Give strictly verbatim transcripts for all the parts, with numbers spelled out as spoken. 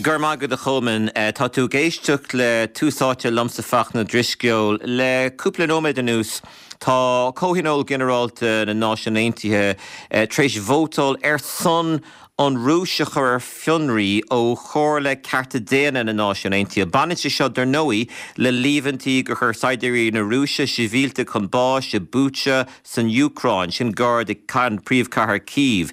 Go raibh maith agat a Cholmáin tá tú ag éisteacht le Tús Áite liomsa Fachtna Drisceoil le cúpla nóiméad anuas tá Comhthionól Ginearálta na Náisiún Aontaithe tar éis vótáil ar son an Rúis a chur ar fionraí ó Chomhairle Cearta Daonna na Náisiún Aontaithe. Baineann sé seo dar ndóigh le líomhaintí gur chuir saighdiúirí na Rúise sibhialtaigh chun báis i Bucha san Úcráin sin gar do príomhchathair Kyiv.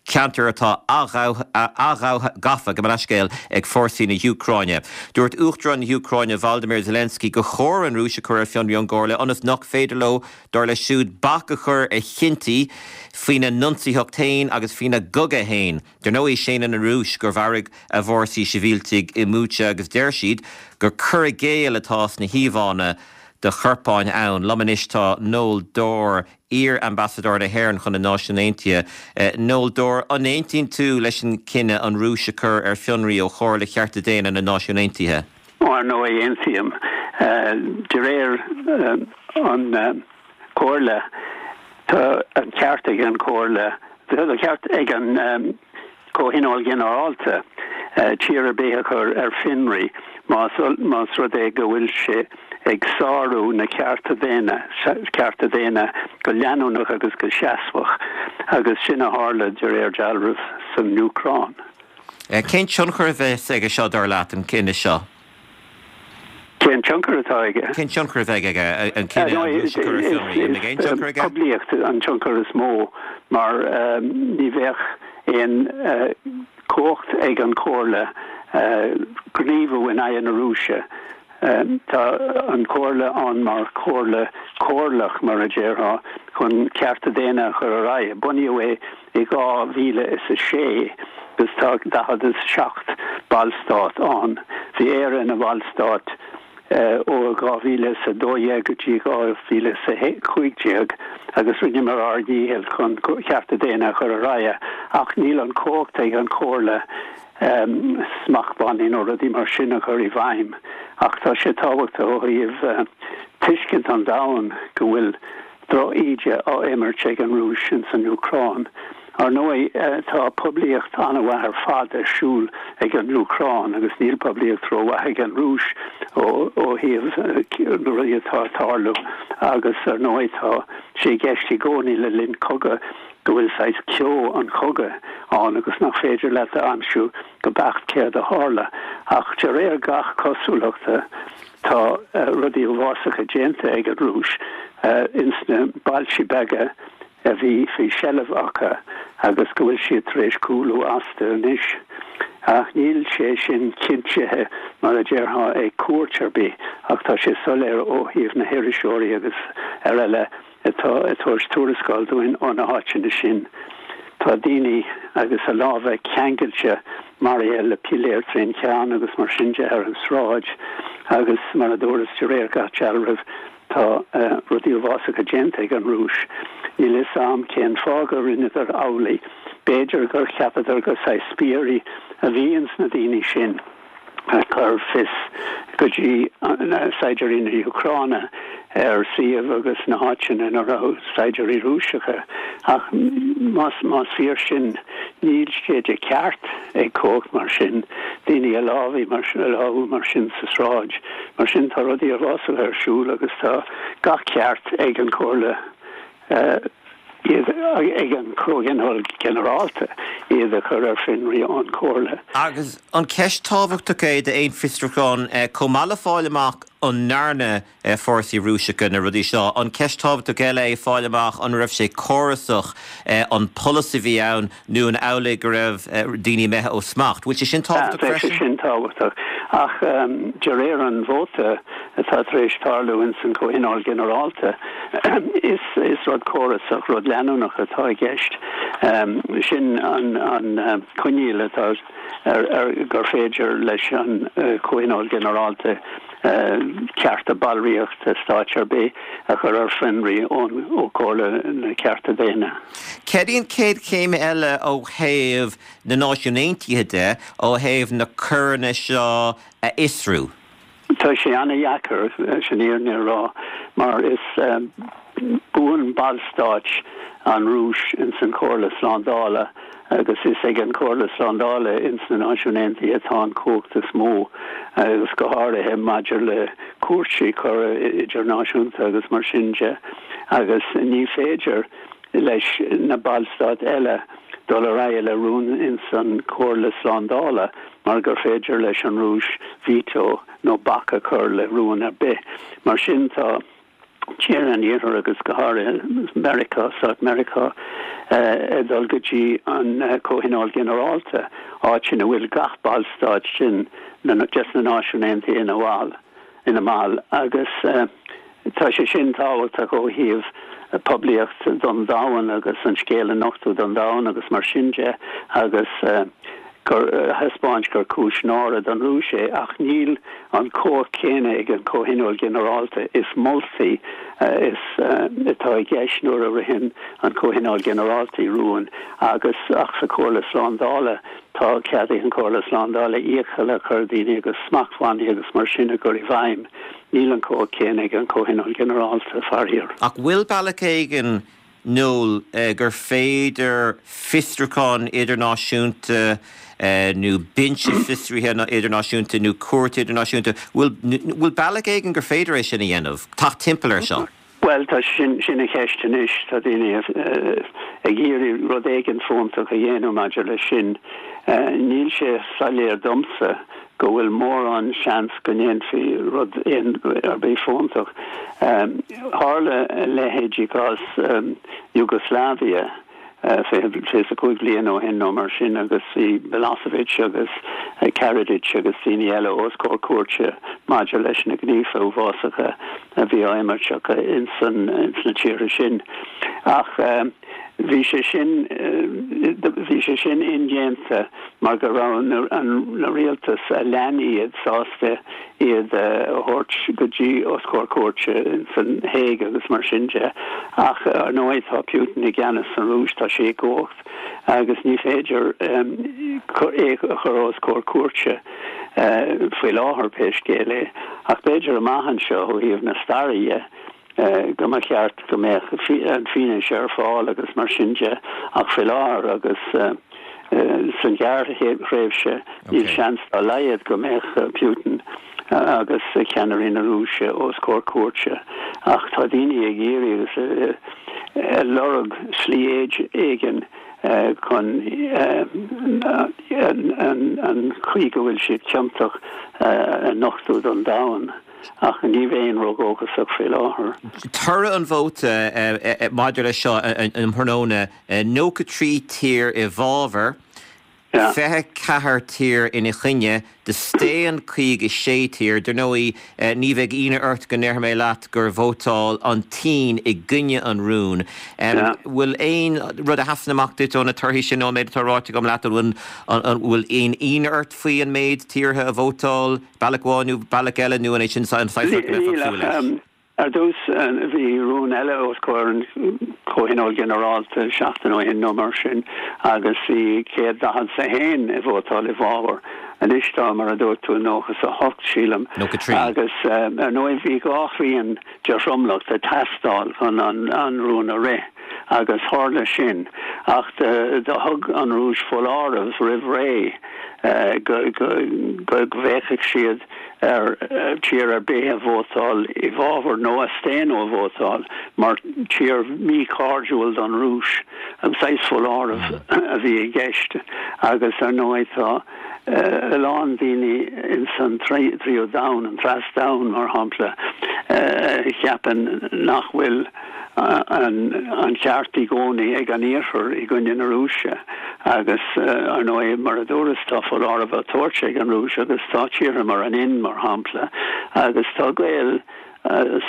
Ceantar atá athghafa go leiscéil ag fórsaí na hÚcráine. Dúirt Uachtarán na hÚcráine Volodymyr Zelensky gur chóir an Rúis a chur ar fionraí ón gComhairle ionas nach féidir leo dar leis siúd bac a chur ar chinntí faoina n-ionsaithe féin agus faoina gcogadh féin. Dar ndóigh séanann an Rúis gur mharaigh a bhfórsaí sibhialtaigh i mBucha agus deir siad gur cur i gcéill atá sna híomhánna de chorpáin ann. Liom anois tá Noel Dorr iar-ambasadóir na hÉireann chun na Náisiún Aontaithe. Noel Dorr an aontaíonn tú leis an cinneadh an Rúis a chur ar fionraí ó Chomhairle Chearta Daonna na Náisiún Aontaithe. Ar ndóigh aontaím de réir an Chomhairle tá an ceart ag an Chomhairle an ceart ag an Comhthionól Ginearálta tír ar bith a chur ar fionraí más más rud é go bhfuil sé ag sárú na cearta daonna cearta daonna go leanúnach agus go seasmhach agus sin a tharla de réir dealraimh san Úcráin. Cén tionchar a bheas aige seo dar leat an cinneadh seo? Cén tionchar atá aige? Cén tionchar a bheidh aige an cinneadh Poiblíocht an tionchar is mó mar ní bheadh aon cumhacht ag an Chomhairle gníomhú in aghaidh na Rúise. Tá an Chomhairle ann mar chomhairle chomhairleach mar a déarfá chun cearta daonna a chur ar aghaidh. Bunaíodh é i dhá mhíle is a sé agus tá daichead is seacht ballstát ann. Bhí Éire ina bhallstát ó dhá mhíle is a dó dhéag go dtí dhá mhíle is a cúig déag agus rinneamar ár ndícheall chun cearta daonna a chur ar aghaidh ach níl an cumhacht ag an Chomhairle um, smachtbhannaí nó rudaí mar sin a chur i bhfeidhm ach tá sé tábhachtach ó thaobh uh, tuiscint an domhain go bhfuil drochíde á imirt ag an Rúis in san Úcráin. Ar ndóigh tá poiblíocht an-mhaith ar fad ar siúl ag an Úcráin agus níl poiblíocht rómhaith ag an Rúis ó ó thaobh na rudaí atá ag tarlú agus ar ndóigh tá sé i gceist i gcónaí le linn cogadh go bhfuil saghas ceo an chogaidh ann agus nach féidir leat a aimsiú go beacht céard a tharla ach de réir gach cosúlachta tá uh, rudaí uafásacha déanta ag an Rúis uh, ins na bailte beaga a bhí faoi sheilbh acu agus go bhfuil siad tar éis cúlú astu anois. Ach níl sé sin cinntithe mar a déarfá ag cúirt ar bith ach tá sé soiléir ó thaobh na hiriseoirí agus ar eile atá ag tabhairt tuarascáil dúinn ó na háiteanna sin. Tá daoine agus a lámha ceangailte maraithe le piléar trína gceann agus mar sin de ar an sráid agus mar a dúras de réir gach dealraimh tá uh, rudaí uafásacha déanta ag an Rúis. Níl a fhios agam cén fáth a rinneadar amhlaidh, B'fhéidir gur cheapadar gur saghas spiairí a bhí ins na daoine sin. chur fios go dtí saighdiúirí na hÚcráine ar suíomh agus na háiteanna ina raibh saighdiúirí Rúiseacha ach más más fíor sin níl sé de ceart ag cumhacht mar sin daoine a lámhach mar a lámhach mar sin sa sráid mar sin tá rudaí uafásacha ar siúl agus tá gach ceart ag an Chomhairle uh, iad ag an Comhthionól Ginearálta iad a chur ar fionraí ón Chomhairle. Agus an ceist tábhachtach é d'aon fiosrúchán chomh maith le fáil amach an ndearna fórsaí Rúiseacha na rudaí seo. An ceist tábhachtach eile é fáil amach an raibh sé córasach an polasaí a bhí ann nó an amhlaidh go raibh daoine imithe ó smacht. Bhfuil sé sin tábhachtach freisin? sin tábhachtach ach um, de réir an vóta atá tar éis tarlú in san Comhthionól Ginearálta is is rud córasach rud leanúnach atá i gceist um, sin an an uh, coinníoll atá ar, ar gur féidir leis an uh, Comhthionól Ginearálta uh, cearta ballraíochta stáit ar bith a chur ar fionraí ón ó Chomhairle na Cearta Daonna. Céard í an chéad chéim eile ó thaobh na Náisiún Aontaithe de ó thaobh na coireanna seo a fhiosrú. Tá sé an-deacair sin fhírinne a rá mar is um, buan ballstát an Rúis in san Chomhairle Slándála Agus is ag an Chomhairle Slándála ins na Náisiúin Aontaithe atá an chumhacht is mó, agus go háirithe maidir le cúrsaí coire idirnáisiúnta agus mar sin de, agus ní féidir leis na ballstáit eile dul ar aghaidh le rún ins an Chomhairle Slándála mar gur féidir leis an Rúis veto nó bac a chur le rún ar bith. Mar sin tá tíortha an Iarthair agus go háirithe Meiriceá, Stáit Meiriceá, ag dul go dtí an Comhthionól Ginearálta, áit ina bhfuil gach ballstát sin des na Náisiúin Aontaithe ina bhall, ina mball agus tá sé sin tábhachtach ó thaobh poiblíocht don domhan agus an scéal a nochtadh don domhan agus mar sin de agus gur thaispeáint gur cúis náire don Rúis é ach níl an chumhacht chéanna ag an Comhthionól Ginearálta. Is moltaí is atá i gceist nuair a ritheann an Comhthionól Ginearálta rún agus ach sa Chomhairle Slándála tá cead ag an Chomhairle Slándála iachall a chur ar dhaoine agus smachtbhannaí agus mar sin a chur i bhfeidhm. Níl an chumhacht chéanna ag an Comhthionól Ginearálta, faraor. Ach bhfuil bealach éigin Noel gur féidir fiosrúchán idirnáisiúnta nó binse fiosraithe idirnáisiúnta nó cúirt idirnáisiúnta, bhfuil bhfuil bealach éigin gur féidir é sin a dhéanamh, teacht timpeall air seo? Bhuel, tá sin sin an cheist anois, tá daoine ag iarraidh rud éigin fóntach a dhéanamh maidir leis sin. Níl sé soiléir domsa go bhfuil mórán seans go ndéanfaí rud ar bith fóntach. Tharla a leithéid i gcás Yugoslavia fiche is a cúig bliain ó shin nó mar sin agus bhí Milosevic agus Karadzic agus daoine eile os comhair cúirte maidir leis na gníomha uafásacha a bhí á imirt acu ins na tíortha sin. Ach Bhí sé sin bhí sé sin indéanta mar go raibh na rialtais a lean iad sásta iad a thabhairt go dtí os comhair cúirte ins an Hague agus mar sin de. Ach ar ndóigh tá Putin i gceannas san Rúis, tá sé i gcumhacht agus ní féidir é a chur os comhair cúirte faoi láthair pé scéal é. Ach b'fhéidir amach anseo ó thaobh na staire dhe, go mba cheart go mbeadh an fianaise ar fáil agus mar sin de ach faoi láthair agus san ghearrthréimhse níl seans dá laghad go mbeadh Putin agus ceannairí na Rúise os comhair cúirte ach tá daoine ag iarraidh agus ag lorg slí éigin chun an chaoi go bhfuil siad ciontach a nochtadh don domhan. Ach ní bheinn ródhóchasach faoi láthair. Toradh an vóta maidir leis seo um thráthnóna, nócha trí tír i bhfabhar, fiche ceathair tír ina choinne, do staon caoga sé tír. Dar ndóigh, ní bheidh ionadh ort go ndéarfaidh mé leat gur vótáil an tSín i gcoinne an rúin. Bhfuil aon rud a sheasann amach duit ó na torthaí sin nó an méid atá ráite agam leat? An bhfuil aon ionadh ort faoi an méid tíortha a vótáil bealach amháin nó bealach eile nó an é sin an saghas rud go mbeifeá ag súil leis? Ar dtús, bhí rún eile os comhair an Chomhthionóil Ghinearálta seachtain ó shin nó mar sin agus bhí céad daichead 's a haon ag vótáil i bhfabhar. Anois tá, mar a dúirt tú, nócha 's a hocht, sílim. Nócha trí. Agus ar ndóigh bhí dhá thrian de thromlach ag teastáil chun an rún a rith agus tharla sin. Ach do thug an Rúis foláireamh roimh ré go bhféachfadh siad ar tír ar bith a vótáil i bhfabhar nó a staon ó vótáil mar tír míchairdiúil don Rúis. An saghas foláireamh a bhí i gceist agus ar ndóigh tá a lán daoine ins an tríú domhan, an treas-domhan mar shampla, a cheapann nach bhfuil an ceart i gcónaí ag an Iarthar i gcoinne na Rúise agus ar ndóigh mar a dúras tá foláireamh á tabhairt ag an Rúis agus tá tíortha mar an Ind mar shampla agus tá gaol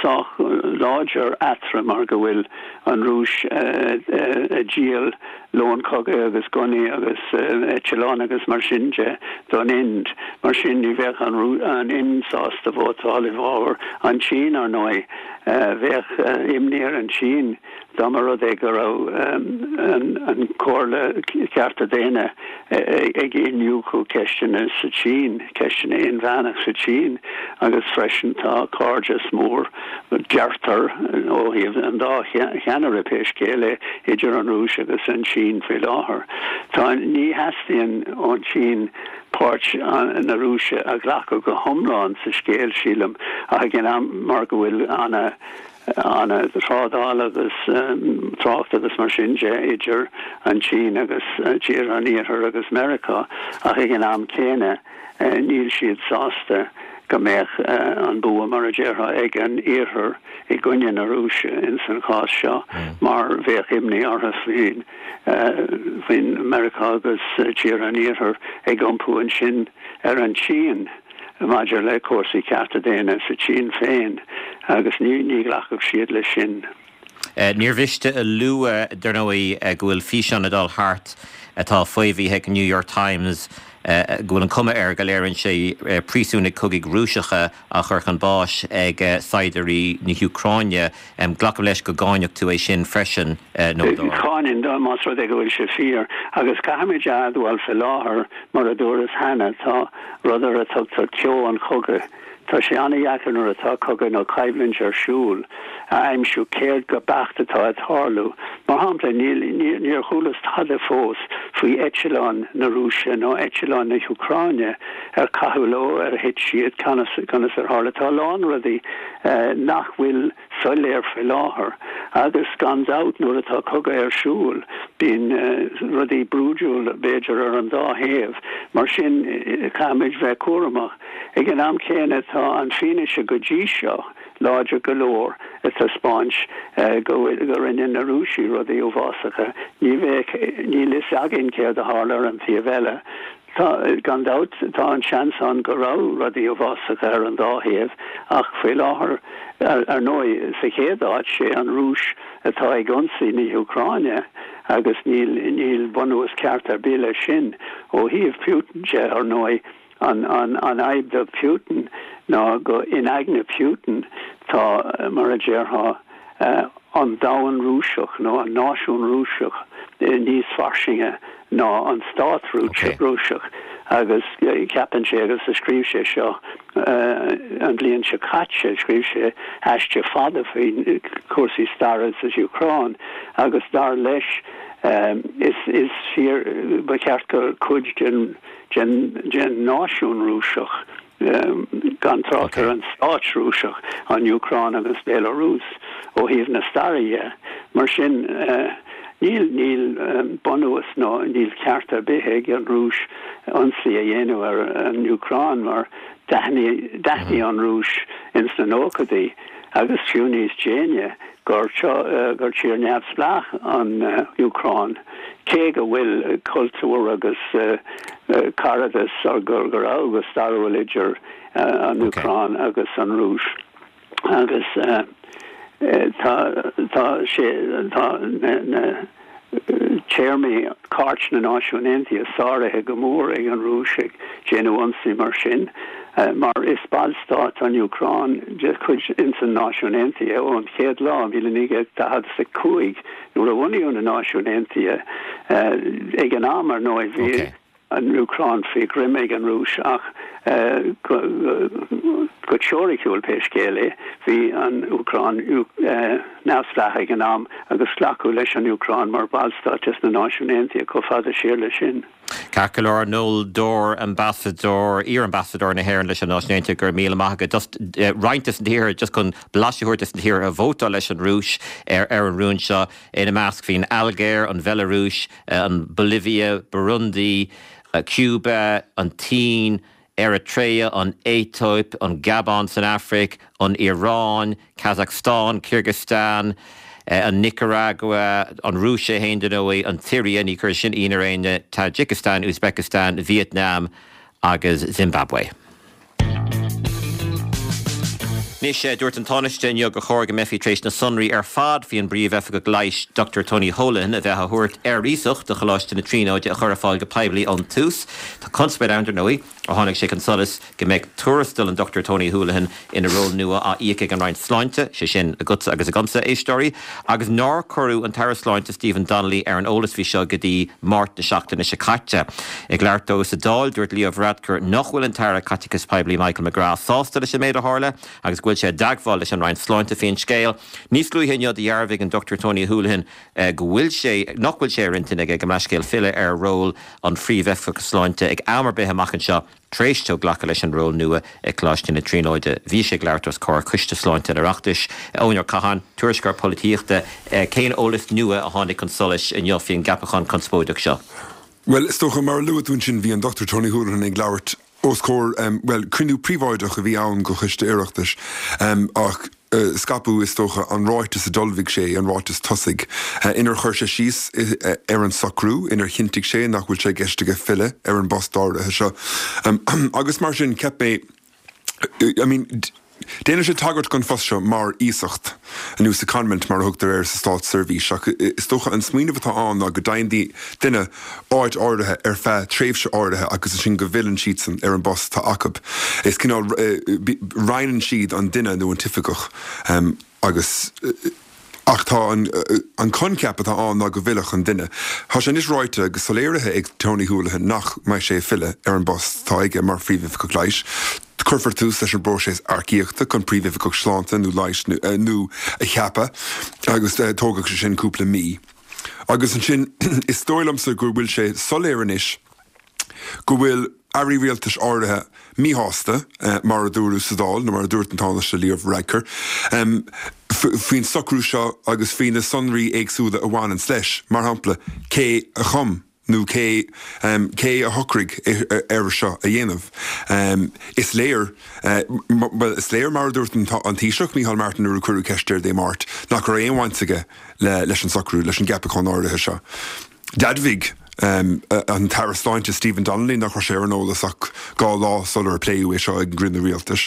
sách láidir eatarthu mar go bhfuil an Rúis ag díol lón cogaidh agus gunnaí agus eitleáin agus mar sin de don Ind. Mar sin ní bheadh an Ind sásta vótáil i bhfabhar an tSín ar ndóigh. Bheadh imní ar an tSín dá mba rud é go raibh an Chomhairle Cearta Daonna ag iniúchadh ceisteanna sa tSín, ceisteanna inmheánach sa tSín agus freisin tá cairdeas mór, deirtear, ó thaobh an dá cheannaire pé scéal é, idir an Rúis agus an tSín. tSín faoi láthair. Tá, ní theastaíonn ón tSín páirt na Rúise a ghlacadh go hiomlán sa scéal, sílim, ach ag an am mar go bhfuil ana an-trádáil agus trácht agus mar sin de idir an tSín agus tíortha an Iarthair agus Meiriceá, ach ag an am céanna níl siad sásta go mbeadh an bua, mar a déarfá, ag an Iarthar i gcoinne na Rúise ins an chás seo, mar bheadh imní orthu faoin faoin Meiriceá agus tíortha an Iarthair ag iompú ansin ar an tSín maidir le cúrsaí cearta daonna sa tSín féin, agus ní ní ghlacfadh siad leis sin. Níor mhiste a lua, dar ndóigh, go bhfuil físeán ag dul thart atá faomhaithe ag New York Times go bhfuil an cuma air go léiríonn sé príosúnaigh cogaidh Rúiseacha á chur chun báis ag saighdiúirí na hÚcráine. Glacaim leis go gcáinfeadh tú é sin freisin, Noel Dorr. Cáinim, más rud é go bhfuil sé fíor. Agus caithfimid a admháil faoi láthair, mar a dúras cheana, tá rud ar a tugtar ceo an chogaidh. Tá sé an-dheacair nuair atá cogadh nó coimhlint ar siúl a aimsiú céard go beacht atá ag tarlú. Mar shampla, níl, níor chualas tada fós faoi eitleáin na Rúise nó eitleáin na hÚcráine, ar caitheadh leo, ar thit siad, conas, conas ar tharla. Tá a lán rudaí nach bhfuil soiléir faoi láthair agus gan dabht nuair atá cogadh ar siúl bíonn rudaí brúidiúil b'fhéidir ar an dá thaobh. Mar sin caithfimid bheith cúramach. Ag an am céanna tá an fianaise go dtí seo láidir go leor ag taispeáint go bhfuil, go rinne na Rúisigh rudaí uafásacha. Ní bheadh, níl fhios againn céard a tharla ar an taobh eile. Tá, gan dabht, tá an seans ann go raibh rudaí uafásacha ar an dá thaobh ach faoi láthair, ar ndóigh, sa chéad áit, sé an Rúis atá ag ionsaí na hÚcráine agus níl, níl bunús ceart ar bith leis sin. Ó thaobh Putin de, ar ndóigh, An fhadhb do Putin ná go in aigne Putin tá, mar a déarfá, an domhan Rúiseach nó an náisiún Rúiseach níos fairsinge ná an stát Rúiseach agus ceapann sé, agus scríobh sé seo an bhliain seo caite, scríobh sé aiste fada faoi chúrsaí staire sa Úcráin agus dar leis is fíor, ba cheart gur cuid den den náisiún Rúiseach, gan trácht ar an stát Rúiseach, an Úcráin agus Béalarúis, ó thaobh na staire dhe. Mar sin, níl níl bunús nó níl ceart ar bith ag an Rúis ionsaí a dhéanamh ar an Úcráin mar d'aithnigh an Rúis ins na nóchaidí, agus fiú níos déanaí, gur gur tír neamhspleách an Úcráin, cé go bhfuil cultúr agus caradas go go raibh go stairiúil idir an Úcráin agus an Rúis. Agus tá tá sé tá na téarmaí Cairt na Náisiún Aontaithe sáraithe go mór ag an Rúis ag déanamh ionsaí mar sin, mar is ballstát an Úcráin de chuid ins an Náisiún Aontaithe ón chéad lá, míle naoi gcéad daichead is a cúig, nuair a bunaíodh na Náisiúin Aontaithe. Ag an am, ar ndóigh, bhí an Úcráin faoi ghreim ag an Rúis ach go teoiriciúil, pé scéal é, bhí an Úcráin neamhspleách ag an am agus glacadh leis an Úcráin mar bhallstát des na Náisiúin Aontaithe chomh fada siar leis sin. Ceart go leor, Noel Dorr, Ambasadóir, iar-Ambasadóir na hÉireann leis na Náisiúin Aontaithe, go raibh míle maith agat. Just roinnt des na tíortha, just chun blaiseadh a thabhairt des na tíortha a vótáil leis an Rúis ar an rún seo, ina measc bhí an Ailgéir, an Bhealarúis, an Bholivia, Burundi, Cuba, an tSín, Eritrea, an Aetóip, an Gabon san Afraic, an Iaráin, Kazakhstan, Kyrgyzstan, an Nicaragua, an Rúis é féin, dar ndóigh, an tSiria, ní chuirfidh sin ionadh ar éinne, Tajikistan, Uzbekistan, Vietnam agus Zimbabwe. Anois, dúirt an Tánaiste inniu gur chóir go mbeifí tar éis na sonraí ar fad faoi an bPríomh-Oifigeach Leighis Doctor Tony Holohan a bheith á thabhairt ar iasacht do Choláiste na Tríonóide a chur ar fáil go poiblí ón tús. Tá conspóid ann, dar ndóigh, ó tháinig sé chun solais go mbeidh tuarastal an Dochtúir Tony Holohan ina ról nua á íoc ag an Roinn Sláinte, sé sin agatsa agus agamsa, a éisteoirí, agus nár cuireadh an tAire Sláinte Stephen Donnelly ar an eolas faoi seo go dtí Máirt na seachtaine seo caite. Ag labhairt dó sa Dáil, dúirt Leo Varadkar nach bhfuil an tAire Caiteachais Poiblí Michael McGrath sásta leis an méid a tharla agus go bhfuil bhfuil sé i dteagmháil leis an Roinn Sláinte faoin scéal. Níos luaithe inniu dhearbhaigh an Dochtúir Tony Holohan go bhfuil sé, nach bhfuil sé ar intinn aige, gabh mo leithscéal, filleadh ar ról an Phríomhoifigigh Sláinte ag am ar bith amach anseo tar éis dó glacadh leis an ról nua ag Coláiste na Tríonóide. Bhí sé ag labhairt os comhair Coiste Sláinte an Oireachtais. Eoin Ó Catháin, tuairisceoir polaitíochta, cén eolas nua a tháinig chun solais inniu faoin gceapachán conspóideach seo? Bhuel, is dócha, mar a luaigh tú ansin, bhí an Dochtúir Tony Holohan ag labhairt os comhair, bhuel, cruinniú príobháideach a bhí ann go Choiste Oireachtais, ach scaipeadh, is dócha, an ráiteas a d'ullmhaigh sé, an ráiteas tosaigh, inar chuir sé síos ar an socrú, inar chinntigh sé nach bhfuil sé i gceist aige filleadh ar an bpost áirithe seo. Agus mar sin, cheap mé, I mean, déanann sé tagairt don phost seo mar iasacht, nó secondment mar a thugtar air sa státseirbhís, ach is dócha an smaoineamh atá ann ná go dfaigheann duine áit áirithe ar feadh tréimhse áirithe agus ansin go bhfilleann siadsan ar an bpost atá acu. Is cineál, roinneann siad an duine nó an t-oifigeach agus. Ach tá an an coincheap atá ann ná go bhfillfeadh an duine. Tá sé anois ráite agus soiléirithe ag Tony Holohan nach mbeidh sé ag filleadh ar an bpost atá aige mar Phríomhoifigeach Leighis. Cuirfear tús leis an bpróiseas earcaíochta chun Príomhoifigeach Sláinte nó Leighis nua a cheapadh agus tógfaidh sé sin cúpla mí. Agus ansin is dóigh liomsa go bhfuil sé soiléir anois go bhfuil airí rialtais áirithe míshásta, mar a dúradh sa Dáil, nó mar a dúirt an Tánaiste Leo Varadkar, faoin socrú seo agus faoi na sonraí éagsúla a bhaineanns leis, mar shampla, cé a chum nó cé cé a shocraigh air seo a dhéanamh. Is léir, bhuel, is léir, mar a dúirt an Taoiseach, Micheál Martin nuair a cuireadh ceist air Dé Máirt, nach raibh aon bhaint aige leis an socrú, leis an gceapachán áirithe seo. D'admhaigh an tAire Sláinte Stephen Donnelly nach raibh sé ar an eolas ach dhá lá sular pléadh é seo ag an gcruinniú rialtais,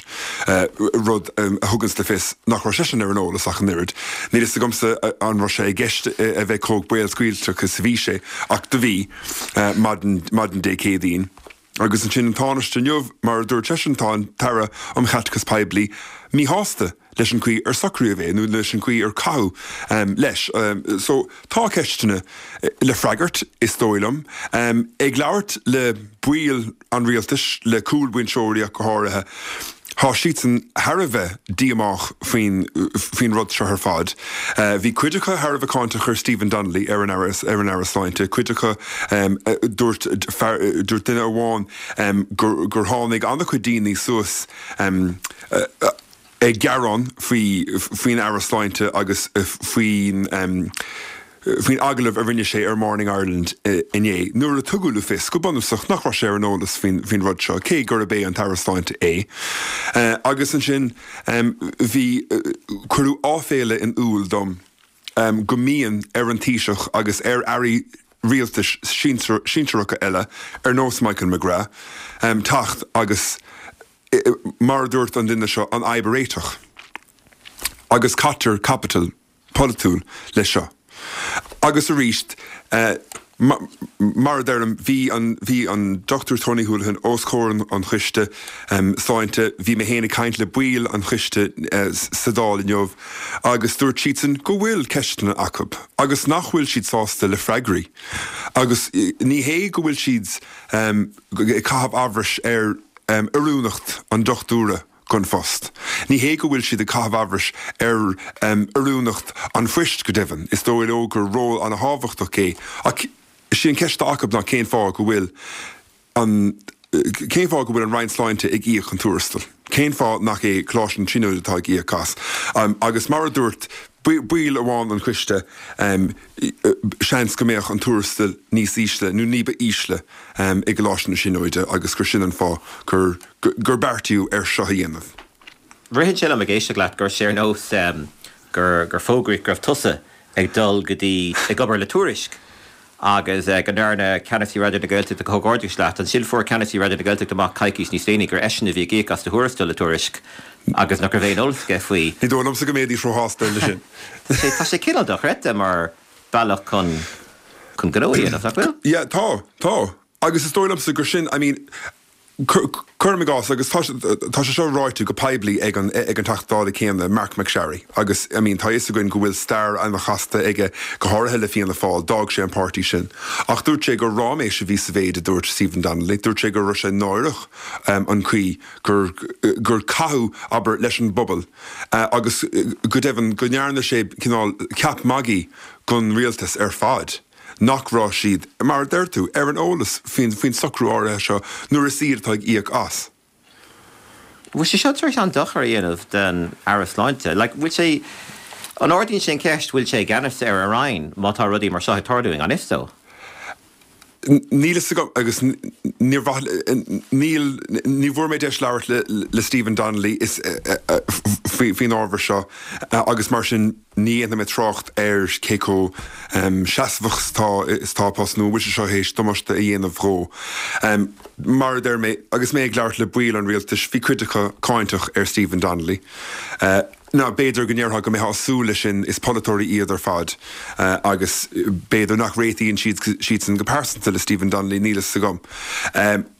rud a thuganns le fios nach raibh seisean ar an eolas ach an oiread. Níl fhios agamsa an raibh sé i gceist a bheith chomh béalscaoilteach is a bhí sé, ach do bhí, maidin Dé Céadaoin. Agus ansin an Tánaiste inniu, mar a dúirt seisean, tá an tAire um Chaiteachas Poiblí míshásta leis an gcaoi ar socraíodh é nó leis an gcaoi ar caitheadh leis. So tá ceisteanna le freagairt, is dóigh liom. Ag labhairt le baill an rialtais, le cúlbhinseoirí ach go háirithe, Tá siadsan thar a bheith díomách faoin faoin rud seo ar fad. Bhí cuid acu thar a bheith cáinteach ar Stephen Donnelly, ar an Aire ar an Aire Sláinte, cuid acu dúirt fear dúirt duine amháin gur gur tháinig an-chuid daoine suas ag gearán faoi faoin Aire Sláinte agus faoin faoin agallamh a rinne sé ar Morning Ireland inné, nuair a tugadh le fios go bunúsach nach raibh sé ar an eolas faoin rud seo, cé gurb é an tAire Sláinte é. Agus ansin bhí, cuireadh áiféala in iúl dom go mbíonn ar an Taoiseach agus ar airí rialtais sinsearacha eile, ar nós Michael McGrath, teacht agus, mar a dúirt an duine seo, an fhadhb a réiteach. Agus caitear caipiteal polaitiúil leis seo. Agus arís, mar a deirim, bhí an, bhí an Dochtúir Tony Holohan os comhair an Choiste Sláinte, bhí mé féin ag caint le baill an choiste sa Dáil inniu agus dúirt siadsan go bhfuil ceisteanna acu agus nach bhfuil siad sásta le freagraí. Agus ní hé go bhfuil siad ag caitheamh amhrais ar oiriúnacht an dochtúra, don phost. Ní hé go bhfuil siad ag caitheamh amhrais ar oiriúnacht an phoist, go deimhin, is dóigh leo gur ról an-thábhachtach é, ach is í an cheist atá acu ná cén fáth go bhfuil an cén fáth go bhfuil an Roinn Sláinte ag íoc an tuarastail? Cén fáth nach é Coláiste na Tríonóide atá ag íoc as? Agus mar a dúirt ball amháin an choiste, seans go mbeadh an tuarastal níos ísle nó ní ba ísle i gColáiste na Tríonóide agus gur sin an fáth gur gur beartaíodh air seo a dhéanamh. Ritheann sé liom ag éisteacht leat gur sé ar nós gur gur fógraíodh go raibh tusa ag dul go dtí ag obair le Tuairisc agus go ndearna ceannasaí Raidió na Gaeltachta comhghairdeas leat. Ansin fuair ceannasaí Raidió na Gaeltachta amach coicís níos déanaí gur eisean a bhí ag íoc as do thuarastal le Tuairisc agus nach raibh aon eolas aige faoi. Ní dóigh liomsa go mbeidís róshásta leis sin. Tá sé cineál dochreidte mar bealach chun chun gnó a dhéanamh, nach bhfuil? Yeah, tá, tá. Agus is dóigh liomsa gur sin, I mean, Cuirim i gcás, agus tá tá sé seo ráite go poiblí ag an ag an Teachta Dála céanna, Marc MacSharry, agus I mean tá fhios againn go bhfuil stair an-chasta aige go háirithe le Fianna Fáil, d'fhág sé an páirtí sin. Ach dúirt sé gur ráiméis a bhí sa mhéid a dúirt Stephen Donnelly, dúirt sé go raibh sé náireach an chaoi gur gur caitheadh, abair, leis an bpobal agus go deimhin go ndearna sé cineál ceap magaidh den rialtas ar fad. nach raibh siad, mar a deir tú, ar an eolas faoin faoin socrú áirithe seo nuair is iad atá ag íoc as. Bhfuil sé seo tar éis an dochar a dhéanamh don Aire Sláinte? Like, bhfuil sé, an ardaíonn sé an ceist bhfuil sé i gceannas ar a roinn má tá rudaí mar seo ag tarlú i ngan fhios dó? Níl fhios agam agus níor mhaith, níl, ní bhfuair mé deis labhairt le le Stephen Donnelly is faoi faoin ábhar seo agus mar sin ní dhéanfaidh mé trácht ar cé chomh seasmhach is atá is atá a post nó an bhfuil sé seo théis damáiste a dhéanamh dhó. Mar a deir mé, agus mé ag labhairt le baill an rialtais, bhí cuid acu cáinteach ar Stephen Donnelly. Now, b'fhéidir go ndéarfá go mbeifeá ag súil leis sin, is polaiteoirí iad ar fad agus b'fhéidir nach réitíonn siad siadsan go pearsanta le Stephen Donnelly, níl fhios agam.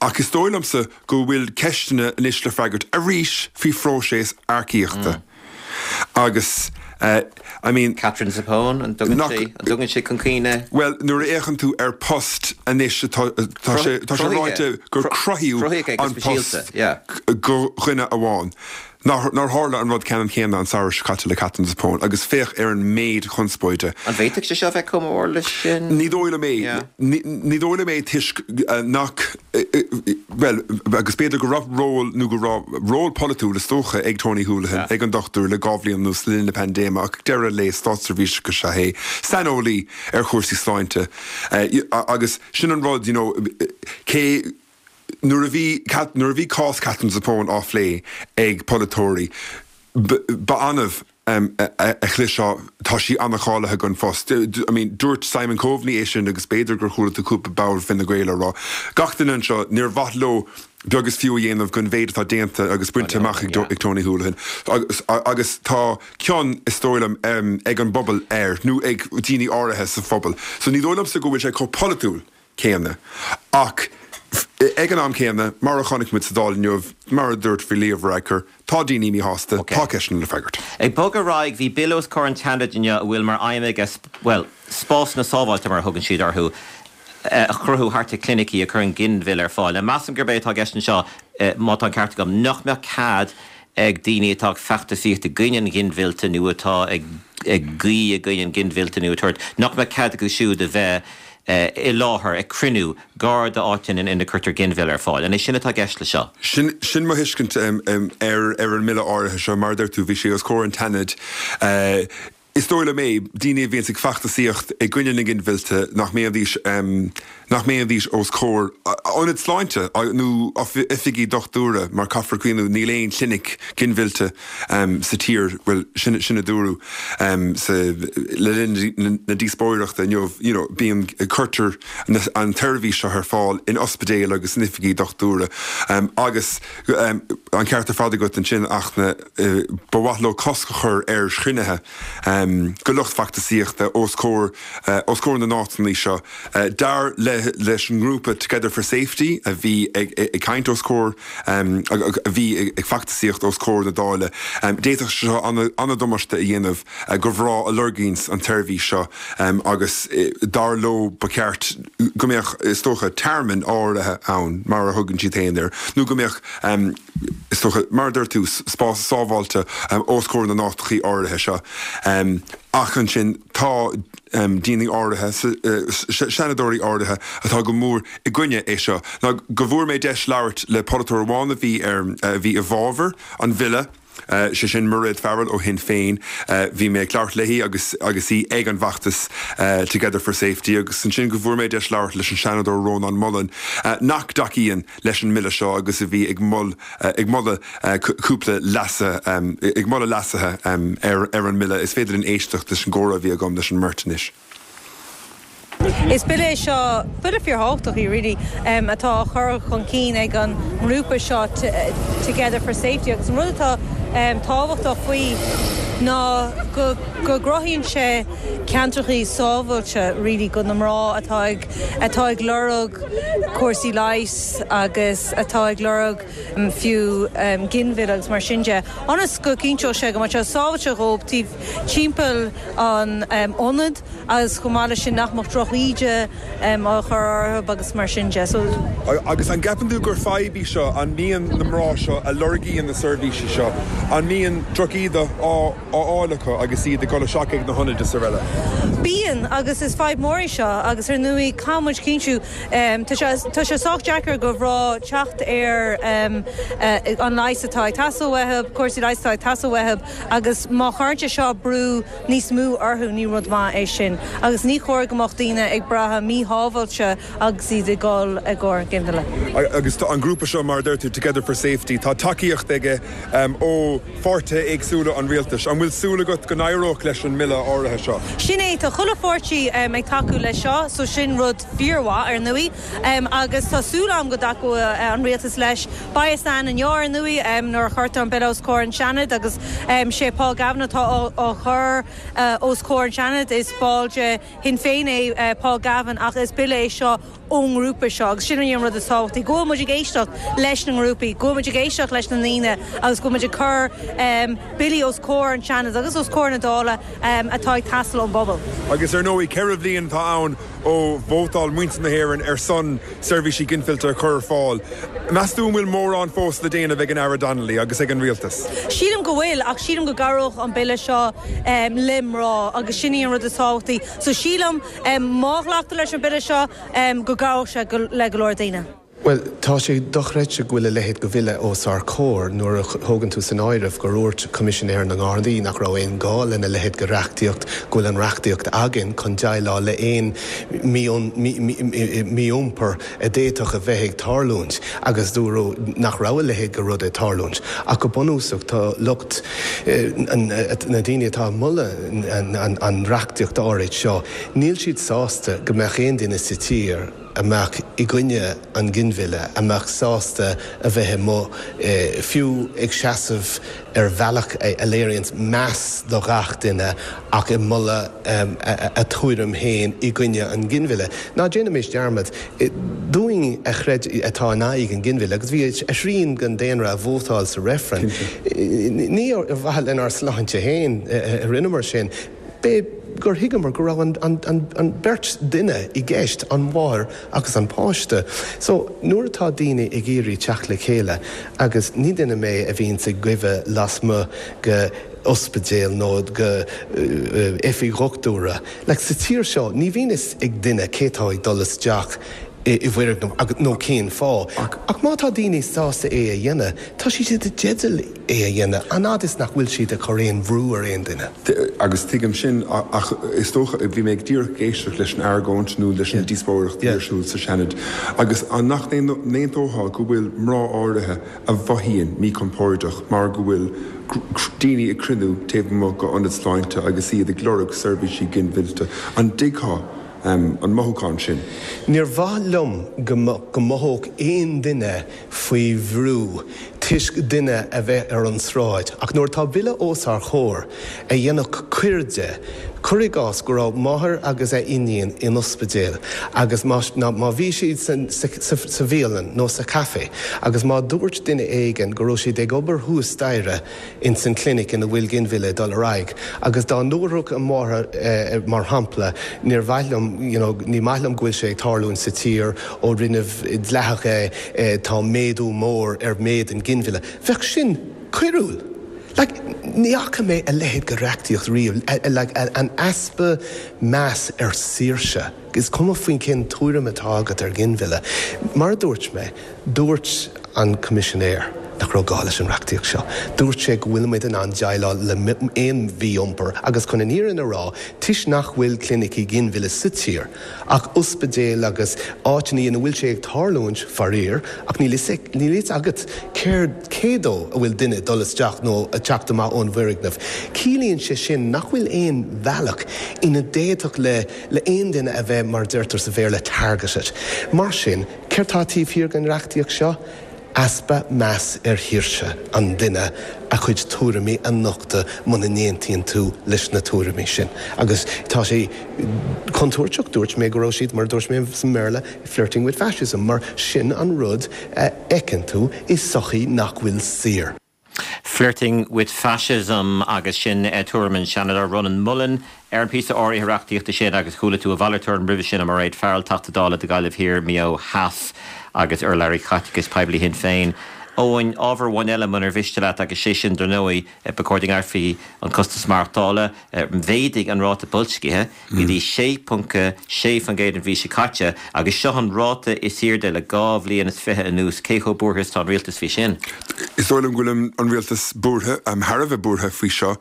Ach is dóigh liomsa go bhfuil ceisteanna anois le freagairt arís faoi phróiseas earcaíochta agus I mean. Katherine Zappone, an dtugann sé, an dtugann sé chun cuimhne? Bhuel, nuair a fhéachann tú ar post anois tá tá sé tá sé ráite gur cruthaíodh an post do dhuine amháin. Nár tharla an rud ceannann céanna an samhradh seo caite le Katherine Zappone agus féach ar an méid conspóide. An bhféadfadh sé seo bheith chomh mór leis sin? Ní dóigh liom é. Ní dóigh liom é toisc nach, bhuel, agus b'fhéidir go raibh ról nó go raibh ról polaitiúil is dócha ag Tony Holohan, ag an dochtúir le dhá bhliain anuas le linn na paindéime ach ag deireadh an lae státseirbhíseach is ea é, saineolaí ar chúrsaí sláinte agus sin an rud, you know, cé Nuair a bhí nuair a bhí cás Katherine Zappone á phlé ag polaiteoirí, ba annamh a chloisfeá 'tá sí an-cháilithe don phost'. I mean, dúirt Simon Coveney é sin agus b'fhéidir gur chuala tú cúpla ball Fine Gael á rá. Gach duine anseo, níor mhaith leo beag is fiú a dhéanamh den mhéid atá déanta agus bainte amach ag Tony Holohan. Agus tá cion, is dóigh liom, ag an bpobal air, nó ag daoine áirithe sa phobal. So ní dóigh liomsa go bhfuil sé chomh polaitiúil céanna. Ach ag an am céanna, mar a chonaic muid sa Dáil inniu, mar a dúirt faoi Leo Varadkar, tá daoine míshásta, tá ceisteanna le freagairt. Ag bogadh ar aghaidh, bhí bille os comhair an tSeanaid inniu a bhfuil mar aidhm aige, bhuel, spásanna sábháilte mar a thugann siad orthu, a chruthú thart ar chlinicí a chuireann ginmhilleadh ar fáil. Now measaim gurb é atá i gceist anseo, má tá an ceart agam, nach mbeadh cead ag daoine atá ag feachtasaíocht i gcoinne an ghinmhillte nó atá ag guí i gcoinne an ghinmhillte nó ag tabhairt, nach mbeadh cead acu siúd a bheith i láthair ag cruinniú gar d'áiteanna ina gcuirtear ginmhilleadh ar fáil. An é sin atá i gceist leis seo? Sin sin mo thuiscint ar ar an mbille áirithe seo. Mar a deir tú, bhí sé os comhair an tSeanaid. Is dóigh liom é, daoine a bhíonns ag feachtasaíocht i gcoinne na ginmhillte, nach mbeidís nach mbeidís os comhair ionad sláinte nó oifigí dochtúra, mar caithfear cuimhniú, níl aon chlinic ginmhillte sa tír, bhuel, sin sin a dúradh sa le linn na díospóireachta inniu, you know, bíonn, cuirtear an tseirbhís seo ar fáil in ospidéil agus in oifigí dochtúra agus an ceart ar fad agat ansin ach na, ba mhaith leo cosc a chur ar chruinnithe de lucht feachtasaíochta os comhair os comhair na n-áiteanna seo. Dar le leis an ngrúpa Together for Safety a bhí ag ag caint os comhair a bhí ag feachtasaíocht os comhair na Dála, d'fhéadfadh sé seo an-damáiste a dhéanamh do mhná a lorgaíonns an tseirbhís seo agus dar leo ba cheart go mbeadh, is dócha, tearmann áirithe ann, mar a thugann siad féin air, nó go mbeadh, is dócha, mar a dúirt tú, spás sábháilte os comhair na n-áiteachaí áirithe seo. Ach ansin tá daoine áirithe, seanadóirí áirithe atá go mór i gcoinne é seo. Ná go bhfuair mé deis labhairt le polaiteoir amháin a bhí ar, a bhí i bhfabhar an bhille, sé sin Mairéad Farrell ó Shinn Féin. Bhí mé ag labhairt léi agus agus í ag an bhfeachtas Together for Safety agus ansin go bhfuair mé deis labhairt leis an Seanadóir Rónán Mullen nach dtacaíonn leis an mbille seo agus a bhí ag ag moladh cúpla leasuithe ag moladh leasuithe ar ar an mbille. Is féidir linn éisteacht leis an gcomhrá a bhí agam leis an mbeirt anois. Is bille é seo, bille fíorthábhachtach é really, atá á chur chun cinn ag an ngrúpa seo Together for Safety agus an rud atá tábhachtach faoi ná go go gcruthaíonn sé ceantracha sábháilte really do na mná atá ag atá ag lorg cúrsaí leighis agus atá ag lorg fiú ginmhilleadh agus mar sin de. Ionas go gcinnteodh sé go mbeadh sé sábháilte dóibh taobh timpeall an ionad agus chomh maith leis sin nach mbeadh drochíde á chur orthu agus mar sin de. So Agus an gceapann tú gur fadhb í seo an mbíonn na mná seo a lorgaíonn na seirbhísí seo, an mbíonn drochíde á fháil acu agus iad ag dul isteach ag na hionaid is araile? Bíonn agus is fadhb mór í seo agus ar ndóigh caithfidh muid cinntiú tá sé sách deacair do mhná teacht ar an leigheas atá ag teastáil uathu, cúrsaí leighis atá ag teastáil uathu agus má chuireann sé seo brú níos mó orthu ní rud maith é sin. Agus ní chóir go mbeadh daoine ag brath míshábháilte agus iad ag dul i gcomhair ginmhilleadh. Agus an grúpa seo mar deir tú Together for Safety, tá tacaíocht aige ó pháirtithe éagsúla an rialtais. An bhfuil súil agat go n-éireodh leis an mbille áirithe seo? Sin é tá chuile pháirtí ag tacú leis seo, so sin rud fíormhaith ar ndóigh agus tá súil agam go dtacóidh an rialtas leis. Beidh a fhios inniu ar ndóigh nuair a chuirtear an bille os comhair an Seanad agus sé Paul Gavin atá á chur os comhair an Seanad is ball de Shinn Féin é Paul Gavin ach is bille é seo ón ngrúpa seo agus sin an rud is tábhachtaí. Go bhfuil muid ag éisteacht leis na ngrúpaí, go bhfuil muid ag éisteacht leis na ndaoine agus go bhfuil muid ag cur billí os comhair an Seanad agus os comhair na Dála atá ag teastáil ón bpobal. Agus ar ndóigh ceithre bhliain atá ann ó vótáil muintir na hÉireann ar son seirbhísí ginmhillte a chur ar fáil. Meas tú an bhfuil mórán fós le déanamh ag an Aire Donnelly agus ag an rialtas? Sílim go bhfuil ach sílim go gcabhródh an bille seo le mná agus sin í an rud is tábhachtaí. So sílim má ghlactar leis an bille seo go gcabhródh sé le go leor daoine. Well, tá sé dochreidte go bhfuil a leithéid de bhille os ár gcomhair nuair a thógann tú san áireamh gur dhúirt Coimisinéir na nGardaí nach raibh aon gá lena leithéid de reachtaíocht go bhfuil an reachtaíocht againn chun déileáil le aon mí-iompar a d'fhéadfadh a bheith ag tarlúint agus dúradh nach raibh a leithéid de rud ag tarlúint. Ach go bunúsach tá lucht na daoine atá ag moladh an reachtaíocht áirid seo, níl siad sásta go mbeadh aon duine sa tír a mbeadh i gcoinne an ginmhilleadh, a mbeadh sásta a bheith amuigh fiú ag seasamh ar bhealach a léiríonn meas do gach duine ach ag moladh a tuairim féin i gcoinne an ginmhilleadh. Ná déanaimis dearmad dúinn a chreid atá in aghaidh an ginmhilleadh agus bhí a thrian den daonra a vótáil sa reifreann. Ní ar mhaithe lenár sláinte féin a rinneamar sin. B'é gur thuigeamar go raibh an, an, an, an beirt duine i gceist an mháthair agus an páiste. So nuair atá daoine ag iarraidh teacht le chéile agus ní duine mé a bhíonn ag goimhe lasmuigh de ospidéal nó de oifig dhochtúra. Like, sa tír seo ní bhíonn a fhios ag duine cé tá ag dul isteach i bhfoirgneamh nó cén fáth. Ach má tá daoine sásta é a dhéanamh, tá siad i dteideal é a dhéanamh, an fhad is nach bhfuil siad ag cur aon bhrú ar aon duine. Agus tuigim sin ach is dócha bhí mé ag díreach ag éisteacht leis an argóint nó leis an díospóireacht ar siúl sa Seanad agus an nach n-aontófá go bhfuil mná áirithe a mhothaíonn míchompordach mar go bhfuil daoine ag cruinniú taobh amuigh d'ionad sláinte agus iad ag lorg seirbhísí ginmhillte an dtuigfeá um, an mothúchán sin. Níor mhaith liom go mothódh aon duine faoi bhrú toisc duine a bheith ar an sráid, ach nuair tá bille os ár gcomhair a dhéanfadh coir de, cuir i gcás go raibh máthair agus a iníon in ospidéal agus má, má bhí siad sa, sa, sa bhialann nó sa café, agus má dúirt duine éigin go raibh siad ag obair thuas staighre in san clinic ina bhfuil ginmhilleadh dul ar aghaidh, agus dá ndúrfadh an mháthair eh, mar shampla níor mhaith liom you know, ní maith liom go bhfuil sé ag tarlúint sa tír ó rinneadh dleathach é eh, tá méadú mór ar méid an ginmhilleadh. Bheadh sin coiriúil. Like, ní fhaca mé a leithéid de reachtaíocht riamh, like, an easpa meas ar saoirse. Is cuma faoin cén tuairim atá agat ar ginmhilleadh. Mar a dúirt mé, dúirt an Coimisinéir nach raibh gá leis an reachtaíocht seo. Dúirt sé go bhfuil muid in ann déileáil le aon mhí-iompar agus chun an fhírinne a rá, toisc nach bhfuil clinicí ginmhilleadh sa tír, ach ospidéil agus áiteanna ina bhfuil sé ag tarlúint faraor, ach níl fhios agat céard cé dó a bhfuil duine dul isteach nó a teacht amach ón bhfoirgneamh. Ciallaíonn sé sin nach bhfuil aon bhealach ina d'fhéadfadh le le aon duine a bheith mar deirtear sa Bhéarla targeted. Mar sin, céard tá taobh thiar den reachtaíocht seo? Easpa meas ar shaoirse an duine a chuid tuairimí a nochtadh muna n-aontaíonn tú leis na tuairimí sin. Agus tá sé contúirteach dúirt mé go raibh siad mar dúirt mé sa mBéarla flirting with fascism, mar sin an rud a fheiceann tú i sochaí nach bhfuil saor. Flirting with fascism agus sin eh, tuairim an Seanadóir Ronan Mullen ar an píosa áirithe reachtaíochta sin agus chuala tú a mhalairt tuairim roimhe sin Mairéad Farrell Teachta Dála do Ghaillimh Thiar Maigh Eo Theas agus urlabhraí caiteachais poiblí Shinn Féin. Eoin ábhar amháin eile munar mhiste leat agus sé sin dar ndóigh ba chóir go ngearrfaí an costas maireachtála mhéadaigh an ráta boilscithe go dtí sé ponc sé faoin gcéad an mhí seo caite agus seo an ráta is airde le dhá bhliain is fiche anuas cé chomh buartha is atá an rialtas faoi sin. Is dóigh liom go bhfuil an rialtas buartha um, thar a bheith buartha faoi seo.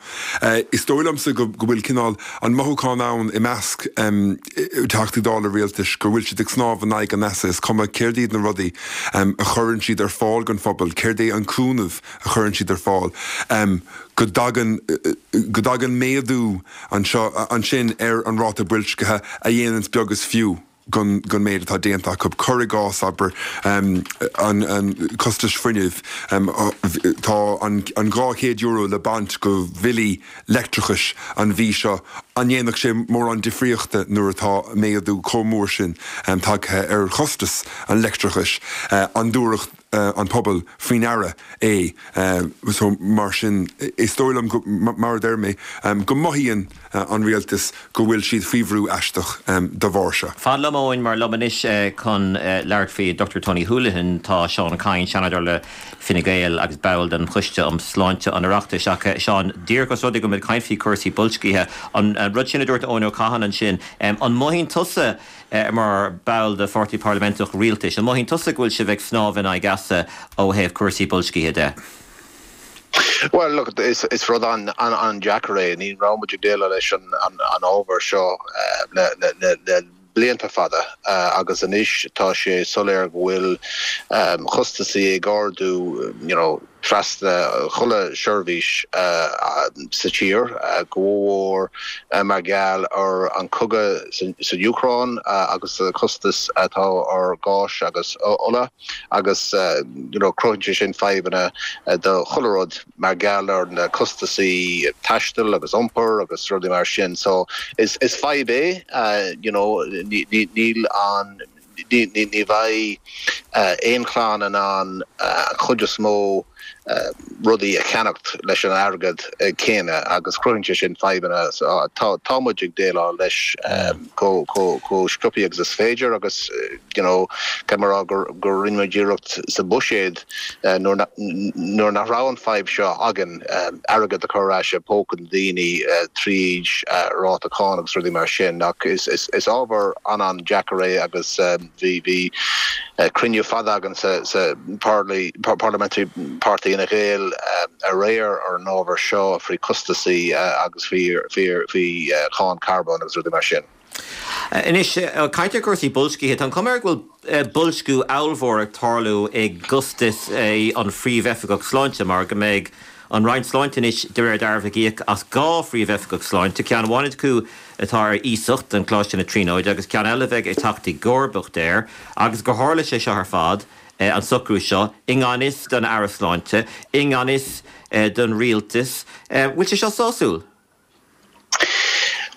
Uh, is dóigh liomsa go, go bhfuil cineál an mothúchán ann i measc um, Teachtaí Dála rialtais go bhfuil siad ag snámh in aghaidh an easa is cuma céard iad na rudaí um, a chuireann siad ar fáil don phobal, céard é an cúnamh a chuireann siad ar fáil. Um, go dtagann go dtagann méadú anseo ansin ar an ráta boilscithe a dhéanann beag is fiú gon gon méid atá déanta acu cuir i gcás abair um, an, an costas fuinnimh um, tá an, an dhá chéad euro le baint go bhillí leictreachais an mhí seo an ndéanfadh sé mórán difríochta nuair atá méadú chomh mór sin um, tagtha ar chostas an leictreachais uh, an dtabharfadh uh, an pobal faoi ndeara é uh, so mar sin is dóigh liom mar a deir mé um, go mothaíonn uh, an rialtas go bhfuil siad faoi bhrú aisteach um, de bharr seo. Fan liom Eoin mar liom anois uh, chun uh, labhairt faoi Dr Tony Holohan tá Seán Kyne Seanadóir le Fine Gael agus ball den Choiste um Sláinte an Oireachtais ach Seán díreach os rud é go bhfuil caint faoi cúrsaí boilscithe an uh, rud sin a dúirt Eoin Ó Catháin ansin um, an mothaíonn tusa uh, mar ball de pháirtí parlaiminteach rialtais. An mothaíonn tusa go bhfuil sibh ag snámh in aghaidh easa ó thaobh cúrsaí boilscithe de. Well look is is rud an an an deacair é ní raibh muid ag déileáil leis an an an ábhar seo uh, le le le le blianta fada uh, agus anois tá sé soiléir go bhfuil um, costasaí ag ardú you know, trasna chuile seirbhís uh, sa tír uh, go mór uh, mar gheall ar an cogadh san Úcráin uh, agus uh, costas atá ar gás agus ola agus uh, you know, cruthaíonn sin fadhbanna uh, do chuile rud mar gheall ar na costasaí taistil agus iompar agus rudaí mar sin so is is fadhb é uh, you know, níl an ní bheidh aon chlann in ann chuid is mó rudaí a cheannacht leis an airgead céanna agus cruthaíonn sé sin fadhbanna tá muid ag déileáil leis chomh sciobtha agus is féidir agus you know, mar gur gur rinne muid iarracht sa bhuiséad nuair nach raibh an fhadhb seo againn airgead a chur i bpóca na ndaoine tríd ráta cánach agus rudaí mar sin ach is, is, is ábhar an an-deacair é agus bhí bhí cruinniú fada againn sa, sa parliamentary party Fine Gael aréir ar an ábhar seo faoi costasaí agus faoi cháin carbón agus rudaí mar sin. Anois caint ar cúrsaí boilscithe an cuma go bhfuil boilsciú ollmhór ag tarlú i gcostas an phríomhoifigeach sláinte mar go mbeidh an Roinn Sláinte anois de réir dealraimh ag íoc as dhá phríomhoifigeach sláinte ceann amháin acu atá ar iasacht in Coláiste na Tríonóide agus ceann eile bheidh ag teacht i gcomharbacht air agus gur tharla sé seo ar fad an socrú seo i ngan fhios don Aire Sláinte, i ngan fhios don rialtas, bhfuil sé seo sásúil?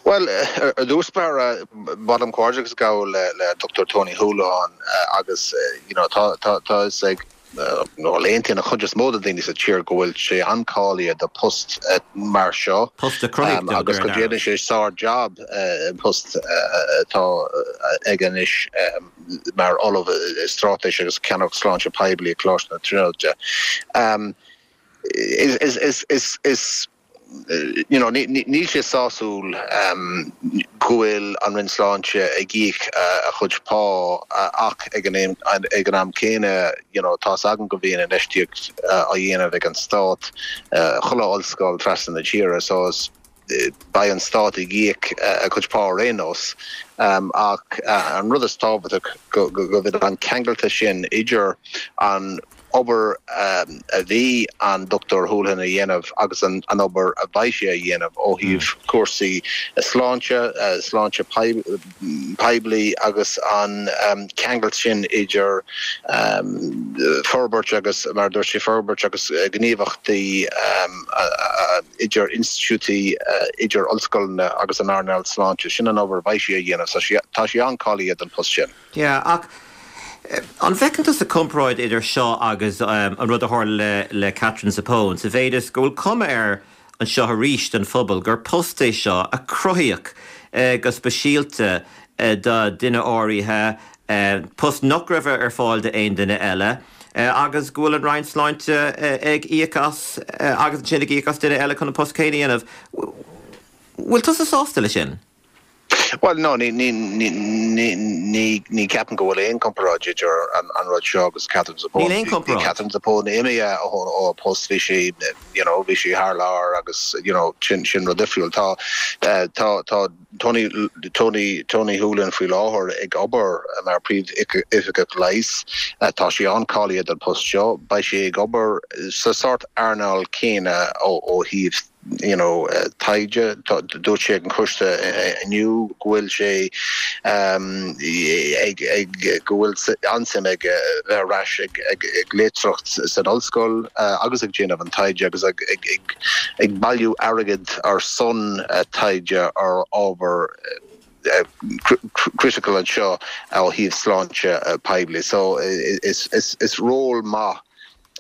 Well ar dtús báire b'áil liom comhghairdeachas a ghabháil le le Dr. Tony Holohan agus you know, tá tá tá ag nó aontaíonn an chuid is mó de daoine sa tír go bhfuil sé an-cháilithe do post uh, mar seo Post a um, agus go déanann sé sár job uh, post atá uh, ag anois um, mar ollamh straitéis agus ceannaireacht sláinte poiblí Coláiste na Tríonóide. Um, is is is is is you know, níl sé sásúil um, go bhfuil an Roinn Sláinte ag íoc uh, a chuid pá uh, ach ag an ag an am céanna you know, tá agam go bhíonn infheistíocht uh, á dhéanamh ag an stát uh, chuile ollscoil trasna na tíre so is beidh an stát ag íoc a chuid pá ar aon nós um, ach uh, an rud is tábhachtaí go go bhfuil an ceangal sin idir an obair a bhí an Dochtúir Holohan a dhéanamh agus an an obair a bheidh sé a dhéanamh ó thaobh cúrsaí sláinte, sláinte poiblí agus an ceangal sin idir forbairt agus, mar a dúirt sé, forbairt agus gníomhachtaí idir institiúidí, idir ollscoileanna agus an earnáil sláinte. Sin an obair a bheidh sí a dhéanamh so tá sí an-cáilithe don post sin. Yeah, ach an bhfeiceann tusa comparáid idir seo agus an rud a tharla le Katherine Zappone, sa mhéid is go bhfuil cuma air anseo arís don phobal gur post é seo a cruthaíodh go speisialta do duine áirithe, post nach raibh ar fáil d'aon duine eile, agus go bhfuil an Roinn Sláinte ag íoc as agus ansin ag íoc as duine eile chun an post céanna a dhéanamh. Bhfuil tusa sásta leis sin? Bhuel, no, ní, ní, ní, ní, ní, ní ceapaim go bhfuil aon comparáid idir an, an rud seo agus Katherine Zappone. Níl aon Bhí comparáid. Katherine Zappone imithe ó, ó post, bhí sí, you know, bhí sí thar lear agus, you know, sin, sin rud difriúil. Tá, eh, tá, tá Tony, Tony, Tony Holohan faoi láthair ag obair mar Príomh-Oifigeach Leighis. Eh, tá sí an-cáilithe don post seo. Beidh sí ag obair sa sórt earnáil céanna ó, ó thaobh you know, taighde. Dúirt sé ag an choiste inniu go bhfuil sé ag ag go bhfuil an-suim aige bheith ar ais ag ag ag léachtóireacht san ollscoil agus ag déanamh an taighde agus ag ag ag ag bailiú airgead ar son taighde ar ábhar critical anseo ó thaobh sláinte poiblí. So is is is ról maith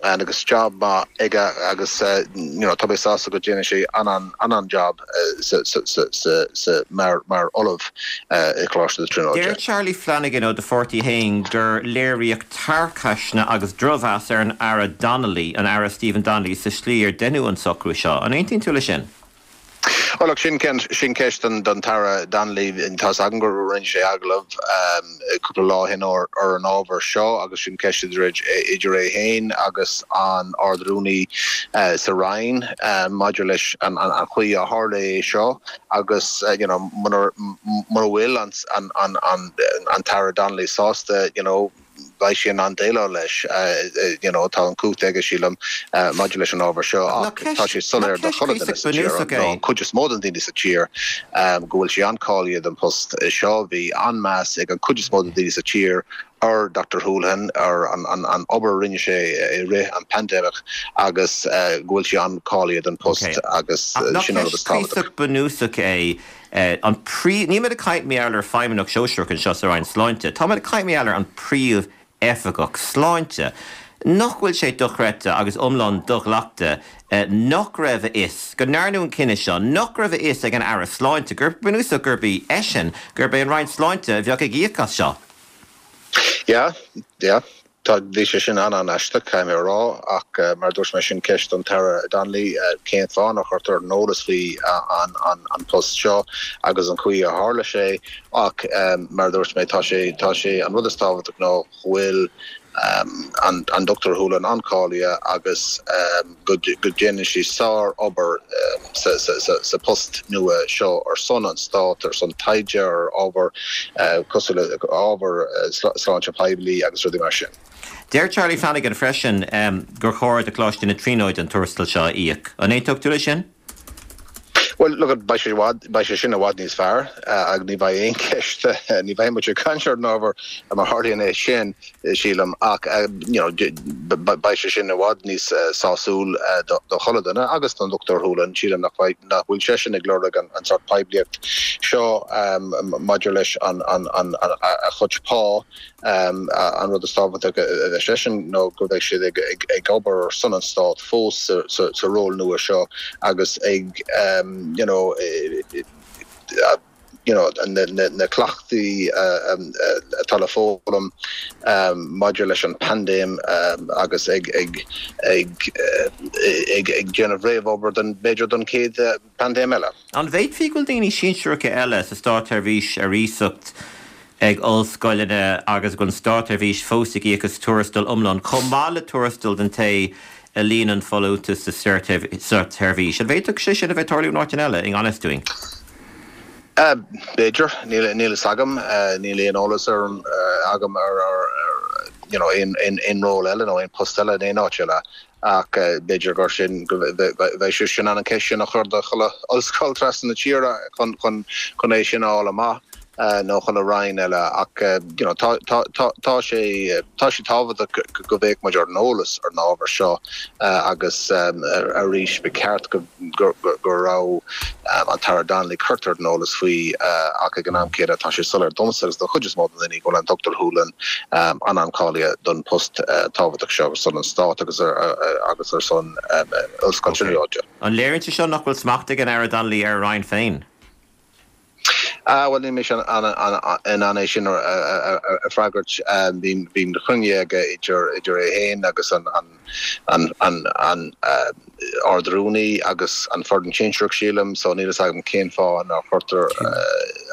agus job maith aige agus you know, tá mé sásta go déanfaidh sé an an an an job sa sa sa sa sa mar mar ollamh i Coláiste na Tríonóide. Deir Charlie Flanagan ó do pháirtí féin gur léiríodh tarcaisne agus drochmheas ar an Aire Donnelly, an Aire Stephen Donnelly, sa slí ar deineadh an socrú seo. An aontaíonn tú leis sin? Well, look, sin sin ceist don don tAire Donnelly. Tá agam gur rinne sé agallamh cúpla lá ó shin ar ar an ábhar seo agus sin ceist idir idir é féin agus an Ard-Rúnaí sa Roinn maidir leis an an an chaoi a tharla é seo agus you know mura mura bhfuil an an an an an tAire Donnelly sásta you know beidh sé in ann déileáil leis you know tá an chumhacht aige sílim maidir leis an ábhar seo ach tá sé soiléir do chuile duine sa tír nó an chuid is mó den daoine sa tír go bhfuil sé an-cáilithe don post seo. Bhí an-meas ag an chuid is mó den daoine sa tír ar Doctor Holohan ar an an an obair a rinne sé i rith an pandemic agus go bhfuil sé an-cáilithe don post agus sin an rud is tábhachtach. Bunúsach é an príomh, níl mé ag caint mar gheall ar feidhmeannach sóisearach anseo sa Roinn Sláinte, tá mé ag caint mar gheall ar an príomh-oifigeach sláinte. Nach bhfuil sé dochreidte agus iomlán do-ghlactha nach raibh a fhios, go ndearnadh an cinneadh seo, nach raibh a fhios ag an Aire Sláinte gur bunúsach gurb í eisean, gurb é an Roinn Sláinte a bheadh ag íoc as seo? Yeah, yeah. Tá, bhí sé sin an-an-aisteach, caithfidh mé a rá, ach mar a dúirt mé, sin ceist don tAire Donnelly, cén fáth nár chuirtear ar an eolas faoi an an an post seo agus an chaoi a tharla sé ach mar a dúirt mé, tá sé, tá sé, an rud is tábhachtach ná go bhfuil an an Dochtúir Holohan an-cháilithe agus go go déanann sí sár-obair sa sa sa sa post nua seo ar son an Stáit, ar son taighde ar ábhar cosúil le ábhar sláinte poiblí agus rudaí mar sin. Deir Charlie Flanagan freisin gur chóir do Choláiste na Tríonóide an tuarastal seo a íoc. An aontódh tú leis sin? Bhuel, look, beidh sé i bhfad, beidh sé sin i bhfad níos fearr agus ní bheidh aon cheist, ní bheidh muid ag caint ar an ábhar má tharlaíonn é sin, sílim, ach you know, beidh sé sin i bhfad níos sásúil do chuile duine agus don Dochtúir Holohan. Sílim nach bhfuil, nach bhfuil seisean ag lorg an sórt poiblíocht seo maidir leis an, an, an, a chuid pá. An rud is tábhachtach do seisean ná go mbeidh siad ag obair ar son an Stáit fós sa ról nua seo agus ag you know you know na cleachtaí atá le foghlaim maidir leis an bpaindéim agus ag ag ag ag ag déanamh réamhobair don b'fhéidir don chéad paindéim eile. An bhféadfaí go bhfuil daoine sinsearacha eile sa státsheirbhís ar iasacht ag ollscoileanna agus go bhfuil an státsheirbhís fós ag íoc as tuarastal iomlán, chomh maith le tuarastal don té a líonann folúntas sa státsheirbhís. An bhféadfadh sé sin a bheith ag tarlú in áiteanna eile, i ngan fhios dúinn? B'fhéidir. Níl a fhios agam. Níl aon eolas agam ar you know aon aon ról eile nó aon post eile in aon áit eile ach b'fhéidir gur sin go bheidh sé sin an ceist sin a chur do chuile ollscoil trasna na tíre chun chun chun é sin a fháil amach nó chuile roinn eile ach you know tá tá tá tá sé tá sé tábhachtach go mbeadh muid ar an eolas ar an ábhar seo agus arís ba cheart go go go raibh an tAire Donnelly curtha ar an eolas faoi ach ag an am céanna tá sé soiléir domsa agus do chuid is mó de dhaoine go bhfuil an Dr Holohan an-an-cháilithe don post tábhachtach seo ar son an Stáit agus agus ar son Ollscoil Tríonóide. An léiríonn sé seo nach bhfuil smacht ag an Aire Donnelly ar a roinn féin? Ah, well níl mise in ann é sin a fhreagairt. Bhí na cruinnithe aige idir idir é féin agus an an an an Ard-Rúnaí agus an foireann sinsearach sílim, so níl fhios agam cén fáth nár cuireadh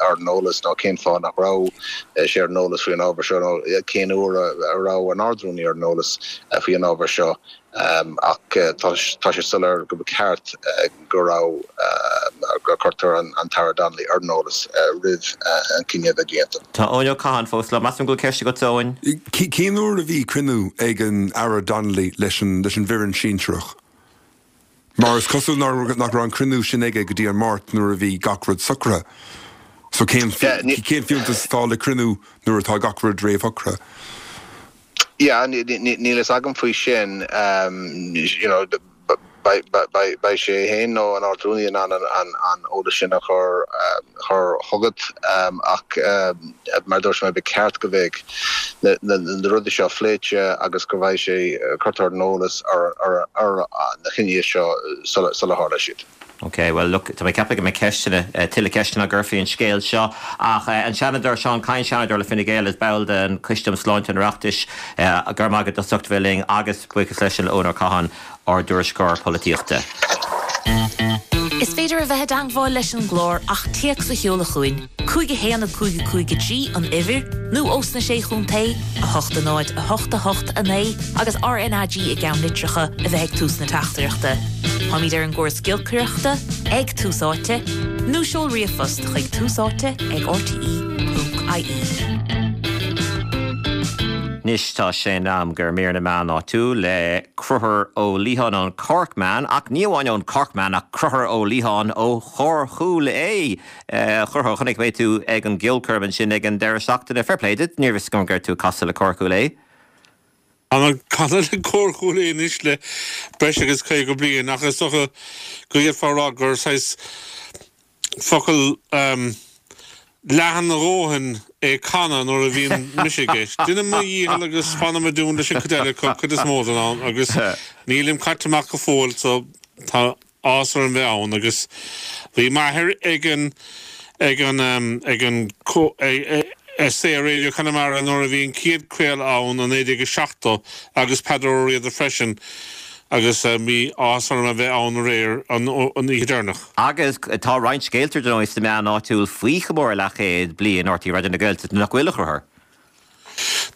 ar an eolas nó cén fáth nach raibh sé ar an eolas faoin ábhar seo nó cén uair a raibh an Ard-Rúnaí ar an eolas faoin ábhar seo. Ach tá sé soiléir go ba cheart go raibh gur cuireadh an tAire Donnelly ar an eolas roimh an cinneadh a bheith déanta. Tá Eoin Ó Catháin fós liom. Measaim go bhfuil ceist agat, Eoin. Cén uair a bhí cruinniú ag an Aire Donnelly leis an leis an bhfoireann sinsearach? Mar is cosúil nach raibh an cruinniú sin aige go dtí an Máirt nuair a bhí gach rud socraithe. So cén cén fiúntas atá le cruinniú nuair atá gach rud réamhshocraithe? Yeah, níl fhios agam faoi sin, you know, beidh sé féin nó an Ard-Rúnaí in ann an eolas sin a chur chur chugat ach mar a dúirt mé ba cheart go mbeadh na rudaí seo pléite agus go mbeidh sé curtha ar an eolas ar ar na cinntí seo sula tharla siad. Ok, well look, tá mé ag ceapadh go mbeidh ceisteanna, tuilleadh ceisteanna á gcur faoin scéal seo ach an Seanadóir Seán Kyne, Seanadóir le Fine Gael is ball den Choiste um Sláinte an Oireachtais, go raibh maith agat as ucht a bheith linn agus buíochas leis an Eoin Ó Catháin, ár dtuairisceoir polaitíochta. Is féidir a bheith i dteagmháil leis an gclár ach téacs a sheoladh chugainn, cúig a haon a cúig a cúig a trí an uimhir, nó ós na Sé Chontae, a hocht a náid a hocht a hocht a naoi agus RnaG i gceannlitreacha a bheith ag tús na teachtaireachta. Táimid ar an gcóras giolcaireachta ag Tús Áite, nó seol ríomhphost chuig túsáite ag rte ponc ie. Anois tá sé in am do mhír na meán áitiúil le Conchúr Ó Liatháin ón Corkman, ach ní amháin ón Corkman ach Conchúr Ó Liatháin ó Chór Chúil Aodha. A Chonchúir, chonaic mé tú ag an gceolchoirm ansin ag an deireadh seachtaine. Fair play duit, níorbh fhios agam go raibh tú ag casadh le Cór Chúil Aodha. Tá mé ag canadh le Cór Chúil Aodha anois le breis agus caoga bliain ach is dócha go bhféadfá a rá gur saghas focal leathan a dhóthain é canadh nuair a bhíonn mise i gceist. Déanaim mo dhícheall agus fanaim i dtiún leis an chuid eile acu cuid is mó den am agus nílim caite amach go fóill so tá áthas orm bheith ann agus bhí m'athair ag an ag an ag an Saor Radio Conamara nuair a bhí an chéad craoladh ann i naoi déag a seachtó agus Peadar Ó Riada freisin agus bhí áthas orm a bheith ann aréir an oíche deireanach. Agus tá roinnt scéalta ar ndóigh sna meáin áitiúil faoi chomóradh leathchéad bliain RTÉ Raidió na Gaeltachta, nach bhfuil, a Chonchúir?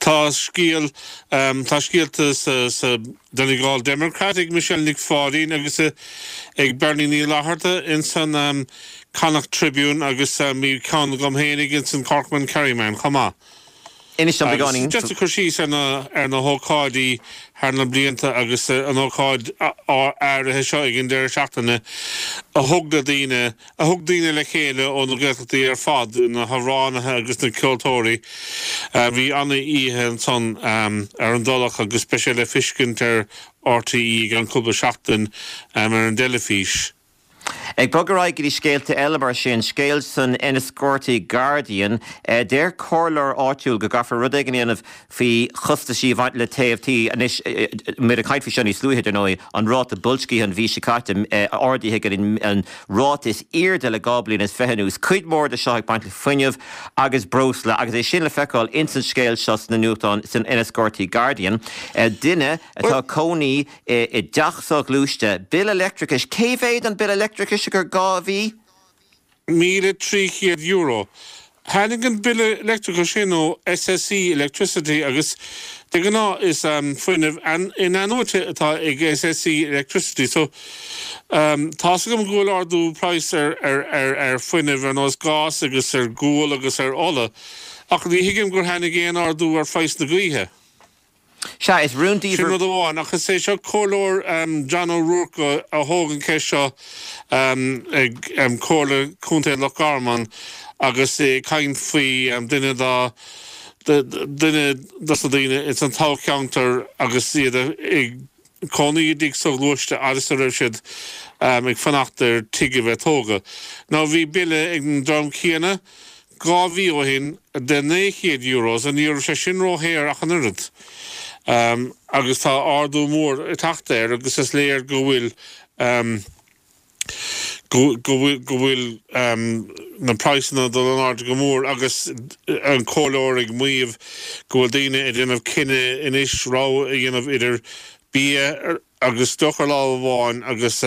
Tá scéal, tá scéalta sa sa Donegal Democrat ag Michelle Nic Pháidín agus ag Bernie Ní Fhlatharta ins an Connacht Tribune agus bhí ceann agam fhéinig ins an Corkman Kerryman chomh maith. Inis dom beagáinín. Just ag cur síos ar na ar na hócáidí thar na blianta agus an ócáid áirithe seo ag an deireadh seachtaine a thug na daoine a thug daoine le chéile ó na Gaeltachtaí ar fad, na hamhránaithe agus na ceoltóirí. Bhí an-oíche ansan ar an dTulach agus beidh sé le feiscint ar RTÉ i gceann cúpla seachtain ar an dteilifís. Ag bogadh ar aghaidh go dtí scéalta eile mar sin, scéal san Enniscorthy Guardian, deir comhairleoir áitiúil go gcaithfear rud éigin a dhéanamh faoi chostaisí a bhaint le téamh tí. Anois, muid ag caint faoi seo níos luaithe, dar ndóigh, an ráta boilscithe an mhí seo caite ardaithe go dtí an ráta is airde le dhá bliain is fiche anuas. Cuid mhór de seo ag baint le fuinneamh agus breosla agus é sin le feiceáil ins an scéal seo sna nuachtáin san Enniscorthy Guardian. Duine atá ag cónaí i dteach soghluaiste, bille leictreachais, cé mhéad an bille leictreachais gur gá a bhí? míle trí chéad euro. Tháinig an bille leictreachais sin ó SSE Electricity agus de ghnáth is fuinneamh in-athnuaite atá ag SSE Electricity so tá's agam go bhfuil ardú praghas ar ar ar fuinneamh ar nós gás agus ar ghual agus ar ola ach ní thuigim gur tháinig aon ardú ar phraghas na gaoithe. Sea, is rúndiamhair. Sin rud amháin, ach is é seo Comhairleoir John O'Rourke a thóg an cheist seo ag Comhairle Contae Loch Garman agus é ag caint faoi duine dá duine dos na daoine ins an toghcheantar agus iad ag cónaí i dtigh soghluaiste agus a raibh siad ag fanacht ar tigh a bheith tógtha. Now bhí bille ag an dream céanna dhá mhí ó shin de naoi chéad euro so ní raibh sé sin ródhaor ach an oiread. Agus tá ardú mór ag teacht air agus is léir go bhfuil go bhfuil na praghsanna ag dul in airde go mór agus an comhairleoir ag maíomh go bhfuil daoine ag déanamh cinneadh anois rogha a dhéanamh idir bia agus deoch ar lámh amháin agus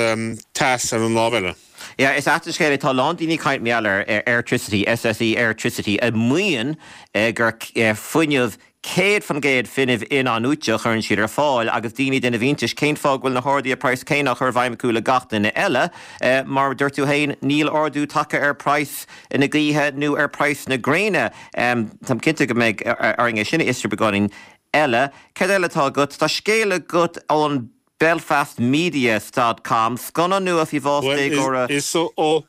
teas ar an lámh eile. Yeah, is ait an scéal é, tá a lán daoine ag caint mar gheall ar Airtricity, SSE Airtricity, a maíonn gur fuinneamh céad faoin gcéad fuinneamh in-athnuaite a chuireann siad ar fáil agus daoine ag déanamh iontais cén fáth go bhfuil na harduithe praghas céanna á chur i bhfeidhm acu le gach duine eile. Mar a dúirt tú féin, níl ardú tagtha ar praghas na gaoithe nó ar praghas na gréine. Táim cinnte go mbeidh orainn é sin a fhiosrú beagáinín eile. Céard eile atá agat? Tá scéal agat ón Belfast Media dot com, scannán nua faoi bhás déagóra. Bhuel, is ó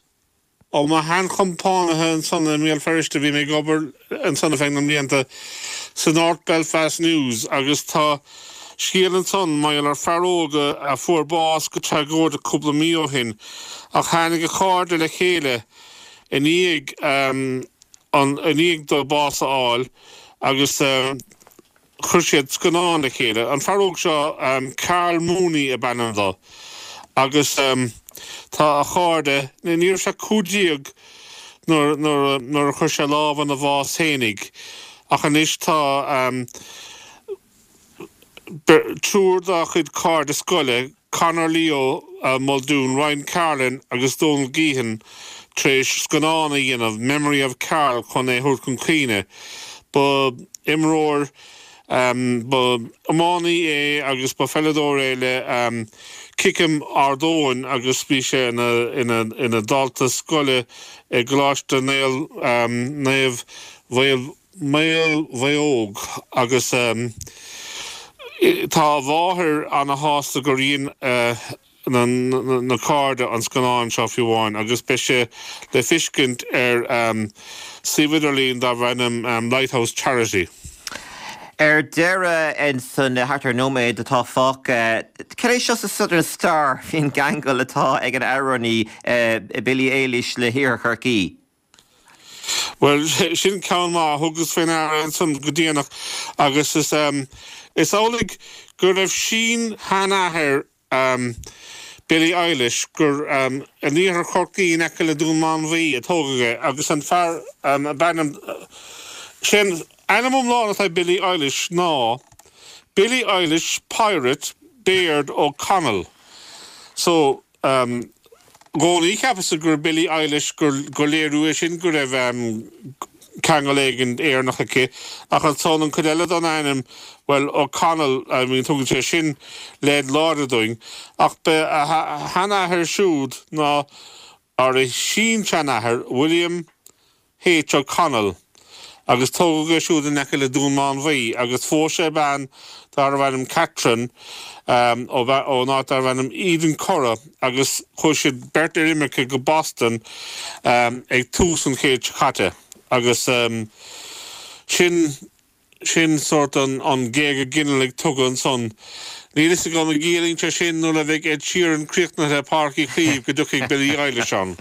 ó mo sheanchompánaithe ansan i mBéal Feirste, bhí mé ag obair ansan ar feadh na mblianta sa North Belfast News agus tá scéal ansan mar gheall ar fear óg a fuair bás go tragóideach cúpla mí ó shin ach tháinig a chairde le chéile i ndiaidh an i ndiaidh dó bás a fháil agus Chuir siad scannán le chéile. An fear óg seo, Karl Mooney ab ainm dó, agus tá a chairde, ní raibh sé cúig déag nuair nuair a chuir sé lámh ina bhás fhéinig, ach anois tá triúr dá chuid cairde scoile, Conor Leo Muldoon, Ryan Carlin agus Donal Geehan tar éis scannán a dhéanamh, Memory of Karl, chun é a thabhairt chun cuimhne. Ba imreoir, ba iománaí é agus ba pheileadóir é le Kickham Ard Eoin agus bhí sé ina dhalta scoile i gColáiste Naomh Maolmhaodhóg agus tá a mháthair ana-shásta gur dhein na cairde an scannán seo fiú amháin agus beidh sé le feiscint ar suíomh idirlín darb ainm Lighthouse Charity. Ar deireadh, insan thart ar nóiméad atá fágtha, cad é seo sa Southern Star faoin gceangal atá ag an amhránaí Billie Eilish le hiarthar Chorcaí? Bhuel, sin ceann maith. Thugas faoi ndeara ansan go déanach agus is is amhlaidh go raibh sin-sheanathair Billie Eilish gur in iarthar Chorcaí in aice le Dún Mánmhaí a tógadh é agus an fear ab ainm sé an ainm iomlán atá ag Billie Eilish ná Billie Eilish Pirate Baird O'Connell. So. I gcónaí cheapas-sa gur Billie Eilish gur léiriú é sin go raibh ceangal éigin Éireannach aici, ach ansan an chuid eile den ainm, bhuel, O'Connell, I mean tugann sé sin leid láidir dúinn. Ach ba a sheanathair siúd ná, or a sin-seanathair, William H. O'Connell, agus tógadh é siúd in aice le Dún Mánmhaí agus phós sé bean darbh ainm Catherine ón áit darbh ainm Eden Cora agus chuaigh siad beirt ar imirce go Boston ag tús an chéid seo caite agus sin Sin sórt an géaga ginealaigh tugtha ansan. Níl fhios agam an gciallaíonn sé sin nuair a bheidh Ed Sheeran críochnaithe i Páirc Uí Chaoimh go dtiocfaidh Billie Eilish ann.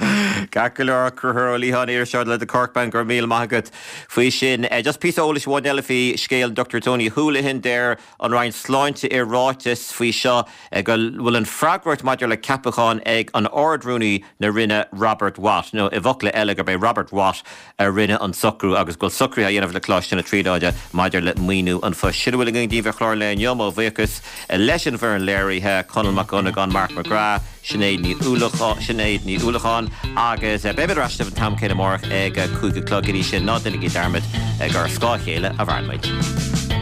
Ceart go leor, Conchúr Ó Liatháin, iriseoir le The Corkman, go raibh míle maith agat faoi sin. Just píosa eolais amháin eile faoi scéal an Dr Tony Holohan. Deir an Roinn Sláinte i ráiteas faoi seo go bhfuil an freagracht maidir le ceapachán ag an Ard-Rúnaí na Roinne Robert Watt, nó i bhfocla eile gurb é Robert Watt a rinne an socrú agus go bhfuil socruithe á dhéanamh le Coláiste na Tríonóide maidir le maoiniú an phoist. Sin a bhfuil againn daoibh ar chlár an lae inniu. Mo bhuíochas leis an bhfoireann léirithe, Conall Mac Dhonnagáin, Mark McGrath, Sinéad Ní Sinéad Ní Uallacháin agus beimid ar ais libh an t-am céanna amárach ag a cúig a chlog. Go dtí sin, ná déanaigí dearmad gur ar scáth a chéile a mhaireann muid.